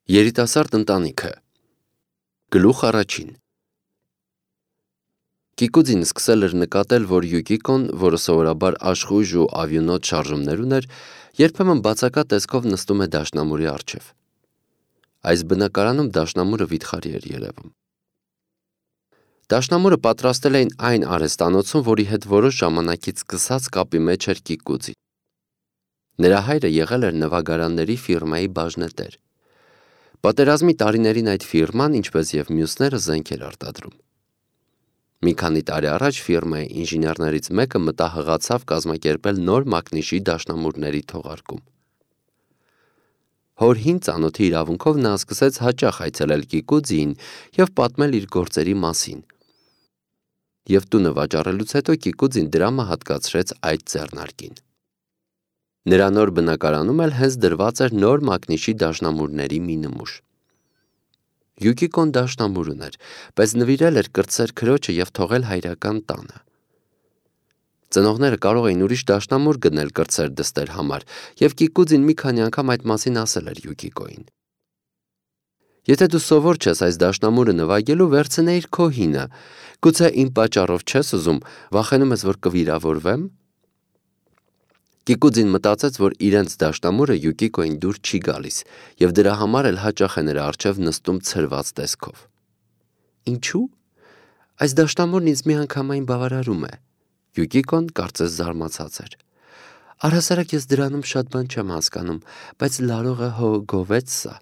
Երիտասարդ ընտանիքը Գլուխ առաջին Կիկուձին սկսել էր նկատել, որ Յուկիկոն, որը սովորաբար աշխույժ ու ավյունոտ շարժումներ ուներ, երբեմն բացակա տեսքով նստում է դաշնամուրի առջև։ Այս բնակարանում դաշնամուրը վիթխարի էր երևում։ Դաշնամուրը պատրաստել էին այն արհեստանոցում, որի հետ որոշ ժամանակից սկսած կապի մեջ էր Կիկուձին։ Նրա հայրը եղել էր նվագարանների ֆիրմայի բաժնետեր։ Պատերազմի տարիներին այդ ֆիրման, ինչպես և մյուսները, զենք էր արտադրում։ Մի քանի տարի առաջ ֆիրմայի ինժեներներից մեկը մտահղացավ կազմակերպել նոր մակնիշի դաշնամուրների թողարկում։ Հոր հին ծանոթի իրավունքով նա սկսեց հաճախ այցելել Կիկուձիին և պատմել իր գործերի մասին։ Եվ տունը վաճառելուց հետո Կիկուձին դրամը հատկացրեց այդ ձեռնարկին։ Նրա նոր բնակարանում էլ հենց դրված էր նոր մակնիշի դաշնամուրների մի նմուշ։ Յուկիկոն դաշնամուր ուներ, բայց նվիրել էր կրտսեր քրոջը և թողել հայրական տանը։ Ծնողները կարող էին ուրիշ դաշնամուր գնել կրտսեր դստեր համար, և Կիկուձին մի քանի անգամ այդ մասին ասել էր Յուկիկոյին։ Եթե դու սովոր չես այս դաշնամուրը նվագելու, վերցնեիր քո հինը, գուցե իմ պատճառով չես ուզում, վախենում ես, որ կվիրավորվեմ։ Կիկուձին մտածեց, որ իրենց դաշնամուրը Յուկիկոյին դուր չի գալիս, և դրա համար էլ հաճախ է նրա առջև նստում ցրված տեսքով։ Ինչու՞։ Այս դաշնամուրն ինձ միանգամայն բավարարում է։ Յուկիկոն կարծես զարմացած էր։ Առհասարակ ես դրանում շատ բան չեմ հասկանում, բայց լարողը հո գովեց սա։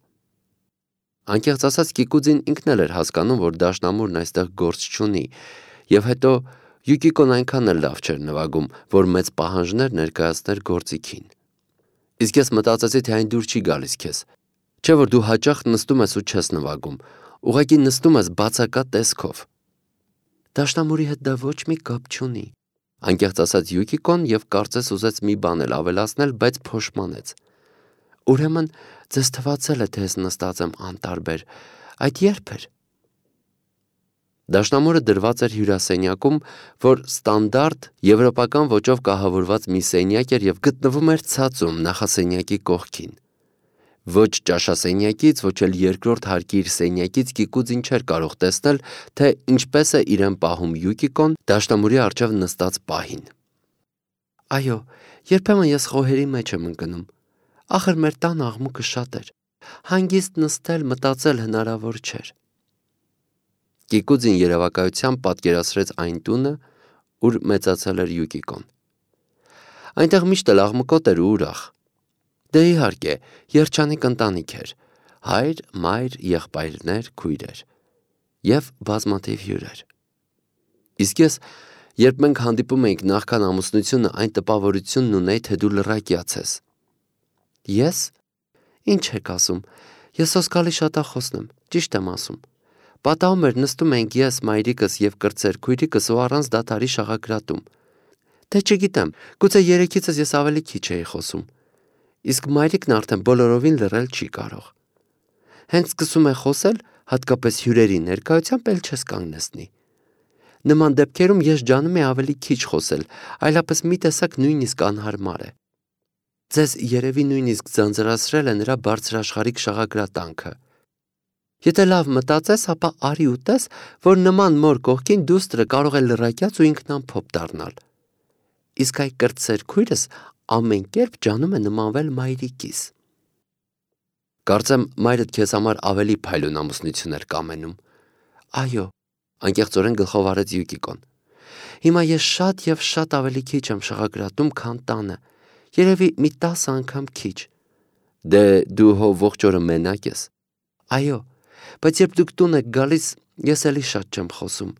Անկեղծ ասած, Կիկուձին ինքն էլ էր հասկանում, որ դաշնամուրն այստեղ գործ չունի, և հետո Յուկիկոն այնքան էլ լավ չէր նվագում, որ մեծ պահանջներ ներկայացներ գործիքին։ Իսկ ես մտածեցի, թե այն դուր չի գալիս քեզ, չէ՞ որ դու հաճախ նստում ես ու չես նվագում, ուղղակի նստում ես բացակա տեսքով։ Դաշնամուրի հետ դա ոչ մի կապ չունի։ Անկեղծ ասած Յուկիկոն և կարծես ուզեց մի բան էլ ավելացնել, բայց փոշմանեց։ Ուրեմն ձեզ թվացել է, թե ես նստած եմ անտարբեր, այդ երբ էր։ Դաշնամուրը դրված էր հյուրասենյակում, որ ստանդարտ եվրոպական ոճով կահավորված մի սենյակ էր և գտնվում էր ցածում նախասենյակի կողքին։ Ոչ ճաշասենյակից, ոչ էլ երկրորդ հարկի իր սենյակից Կիկուձին չէր կարող տեսնել, թե ինչպես է իրեն պահում Յուկիկոն դաշնամուրի առջև նստած պահին։ Այո, երբեմն ես խոհերի մեջ եմ ընկնում։ Ախր մեր տան աղմուկը շատ էր։ Հանգիստ նստել, մտածել հնարավոր չէր։ Կիկուձին երևակայությամբ պատկերացրեց այն տունը, ուր մեծացել էր Յուկիկոն։ Այնտեղ միշտ էլ աղմկոտ էր ու ուրախ։ Դե իհարկե, երջանիկ ընտանիք էր, հայր, մայր, եղբայրներ, քույրեր և բազմաթիվ հյուրեր։ Իսկ ես, երբ մենք հանդիպում էինք նախքան ամուսնությունը, այն տպավորությունն ունեի, թե դու լռակյաց ես։ Ես։ Ինչ եք ասում, ես սոսկալի շատախոսն եմ, ճիշտ եմ ասում։ Պատահում էր նստում էինք ես, մայրիկս և կրտսեր քույրիկս ու առանց դադարի շաղակրատում։ Դե չգիտեմ, գուցե երեքիցս ես ավելի քիչ էի խոսում։ Իսկ մայրիկն արդեն բոլորովին լռել չի կարող։ Հենց սկսում է խոսել, հատկապես հյուրերի ներկայությամբ, էլ չես կանգնեցնի։ Նման դեպքերում ես ջանում էի ավելի քիչ խոսել, այլապես մի տեսակ նույնիսկ անհարմար է։ Ձեզ երևի նույնիսկ ձանձրացրել է նրա բարձրաշխարհիկ շաղակրատանքը։ Եթե լավ մտածես, ապա արի ու տես, որ նման մոր կողքին դուստրը կարող է լռակյաց ու ինքնամփոփ դառնալ։ Իսկ այ կրտսեր քույրս ամեն կերպ ջանում է նմանվել մայրիկիս։ Կարծեմ մայրդ քեզ համար ավելի փայլուն ամուսնություն էր կամենում։ Այո, անկեղծորեն գլխով արեց Յուկիկոն։ Հիմա ես շատ և շատ ավելի քիչ եմ շաղակրատում, քան տանը, երևի մի 10 անգամ քիչ։ Դե դու հո ողջ օրը մենակ ես։ Այո, բայց երբ դուք տուն եք գալիս, ես էլի շատ չեմ խոսում։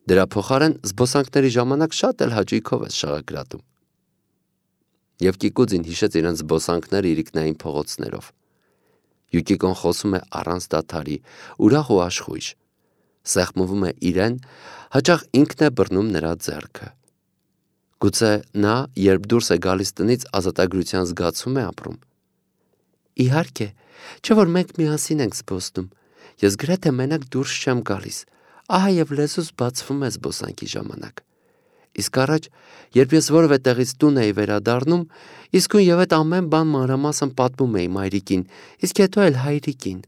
Դրա փոխարեն զբոսանքների ժամանակ շատ էլ հաճույքով ես շաղակրատում։ Եվ Կիկուձին հիշեց իրենց զբոսանքները իրիկնային փողոցներով։ Յուկիկոն խոսում է առանց դադարի, ուրախ ու աշխույժ։ Սեղմվում է իրեն, հաճախ ինքն է բռնում նրա ձեռքը։ Գուցե նա, երբ դուրս է գալիս տնից, ազատագրության զգացում է ապրում։ Իհարկե, չէ՞ որ մենք միասին ենք զբոսնում։ Ես գրեթե մենակ դուրս չեմ գալիս, ահա և լեզուս բացվում է զբոսանքի ժամանակ։ Իսկ առաջ, երբ ես որևէ տեղից տուն էի վերադառնում, իսկույն եւ այդ ամեն բան մանրամասն պատմում էի մայրիկին, իսկ հետո էլ հայրիկին։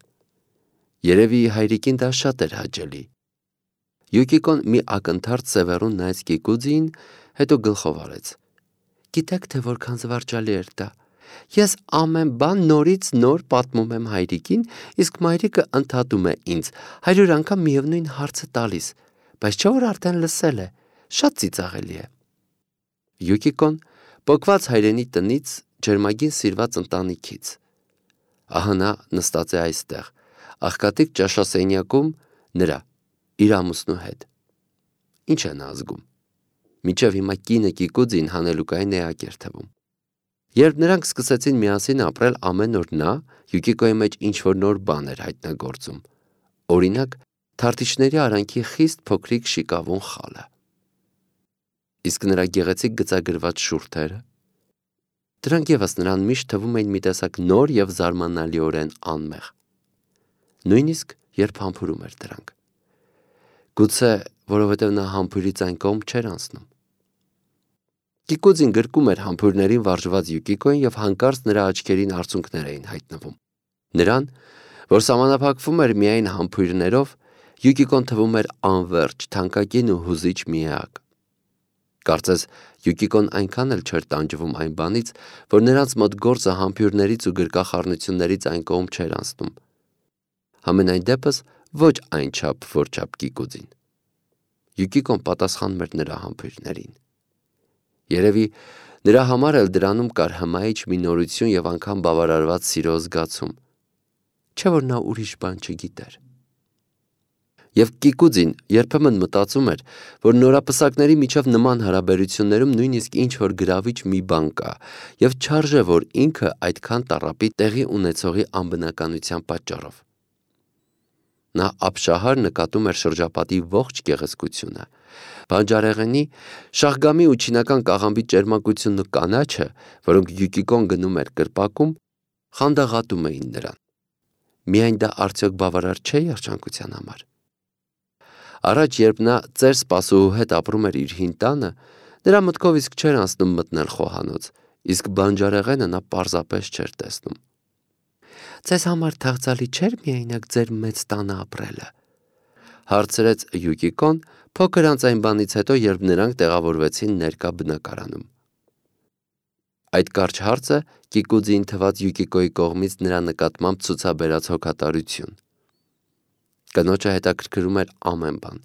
Երևի հայրիկին դա շատ էր հաճելի։ Յուկիկոն մի ակնթարթ սևեռուն նայեց Կիկուձիին, հետո գլխով արեց։ Գիտեք, թե որքան զվարճալի էր դա։ Ես ամեն բան նորից նոր պատմում եմ հայրիկին, իսկ մայրիկը ընդհատում է ինձ, 100 անգամ միևնույն հարցը տալիս, բայց չէ որ արդեն լսել է, շատ ծիծաղելի է։ Յուկիկոն պոկված հայրենի տնից, ջերմագին սիրված ընտանիքից։ Ահա նա նստած է այստեղ, աղքատիկ ճաշասենյակում նրա, իր ամուսնու հետ։ Ինչ է նա զգում։ Մինչև հիմա կինը Կիկուձին հանելուկային էակ էր թվում։ Երբ նրանք սկսեցին միասին ապրել, ամեն օր նա Յուկիկոյի մեջ ինչ-որ նոր բան էր հայտնագործում։ Օրինակ, թարթիչների արանքի խիստ փոքրիկ շիկավուն խալը։ Իսկ նրա գեղեցիկ գծագրված շուրթերը։ Դրանք ևս նրան միշտ թվում էին մի տեսակ նոր եւ զարմանալիորեն անմեղ։ Նույնիսկ երբ համբուրում էր դրանք։ Գուցե, որովհետև նա համբուրից այն կողմ չէր անցնում։ Կիկուձին գրկում էր համբուրներին վարժված Յուկիկոին եւ հանկարծ նրա աչքերին արցունքներ էին հայտնվում։ Նրան, որ սահմանափակվում էր միայն համբուրներով, Յուկիկոն թվում էր անվերջ, թանկագին ու հուզիչ մի էակ։ Կարծես Յուկիկոն այնքան էլ չէր տանջվում այն բանից, որ նրանց մոտ գործը համբուրներից ու գրկախառնություններից այն կողմ չէր անցնում։ Համենայն դեպս ոչ այնչափ, որչափ Կիկուձին։ Յուկիկոն պատասխանում էր նրա համբուրներին։ Երևի նրա համար էլ դրանում կար հմայիչ մի նորություն եւ անգամ բավարարված սիրո զգացում, չէ որ նա ուրիշ բան չգիտեր։ Եվ Կիկուձին երբեմն մտածում էր, որ նորապսակների միջև նման հարաբերություններում նույնիսկ ինչ-որ գրավիչ մի բան կա, եւ չարժե, որ ինքը այդքան տառապի տեղի ունեցողի անբնականության պատճառով։ Նա ապշահար նկատում էր շրջապատի ողջ գեղեցկությունը, բանջարեղենի, շաղգամի ու չինական կաղամբի ճերմակությունն ու կանաչը, որոնք Յուկիկոն գնում էր կրպակում, խանդաղատում էին նրան։ Միայն դա արդյոք բավարար չէ երջանկության համար։ Առաջ, երբ նա ծեր սպասուհու հետ ապրում էր իր հին տանը, նրա մտքով իսկ չէր անցնում մտնել խոհանոց, իսկ բանջարեղենը նա պարզապես չէր տեսնում։ Ձեզ համար թաղծալի չէր միայնակ ձեր մեծ տանը ապրելը, հարցրեց Յուկիկոն փոքր անց այն բանից հետո, երբ նրանք տեղավորվեցին ներկա բնակարանում։ Այդ կարճ հարցը Կիկուձին թված Յուկիկոյի կողմից նրա նկատմամբ ցուցաբերած հոգատարություն։ Կնոջը հետաքրքրում էր ամեն բան։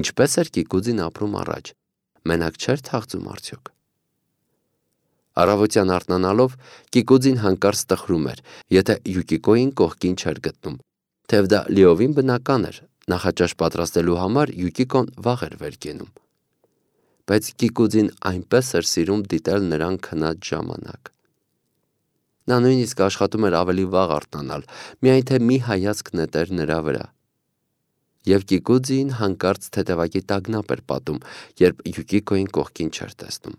Ինչպես էր Կիկուձին ապրում առաջ, մենակ չէր թաղծում արդյոք։ Առավոտյան արթնանալով Կիկուձին հանկարծ տխրում էր, եթե Յուկիկոյին կողքին չէր գտնում, թեև դա լիովին բնական էր, նախաճաշ պատրաստելու համար Յուկիկոն վաղ էր վեր կենում։ Բայց Կիկուձին այնպես էր սիրում դիտել նրան քնած ժամանակ։ Նա նույնիսկ աշխատում էր ավելի վաղ արթնանալ, միայն թե մի հայացք նետեր նրա վրա։ Եվ Կիկուձին հանկարծ թեթևակի տագնապ էր պատում, երբ Յուկիկոյին կողքին չէր տեսնում։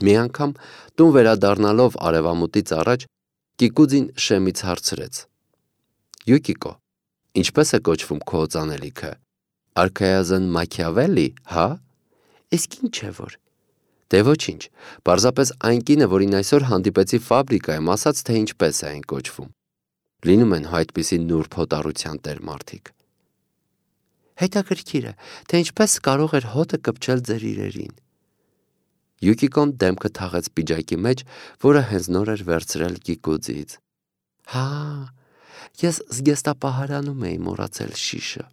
Մի անգամ տուն վերադառնալով արևամուտից առաջ Կիկուձին շեմից հարցրեց. Յուկիկո, ինչպես է կոչվում քո օծանելիքը, արքայազն Մաքիավելի, հա? Իսկ ինչ է որ։ Դե ոչինչ, պարզապես այն կինը, որին այսօր հանդիպեցի ֆաբրիկայում, ասաց, թե ինչպես է այն կոչվում։ Լինում են այդպիսի նուրբ հոտառության տեր մարդիկ։ Հետաքրքիր է, թե ինչպես կարող էր հոտը կպչել ձեր իրերին։ Յուկիկոն դեմքը թաղեց պիջակի մեջ, որը հենց նոր էր վերցրել Կիկուձից։ Հա, ես զգեստապահարանում էի մոռացել շիշը։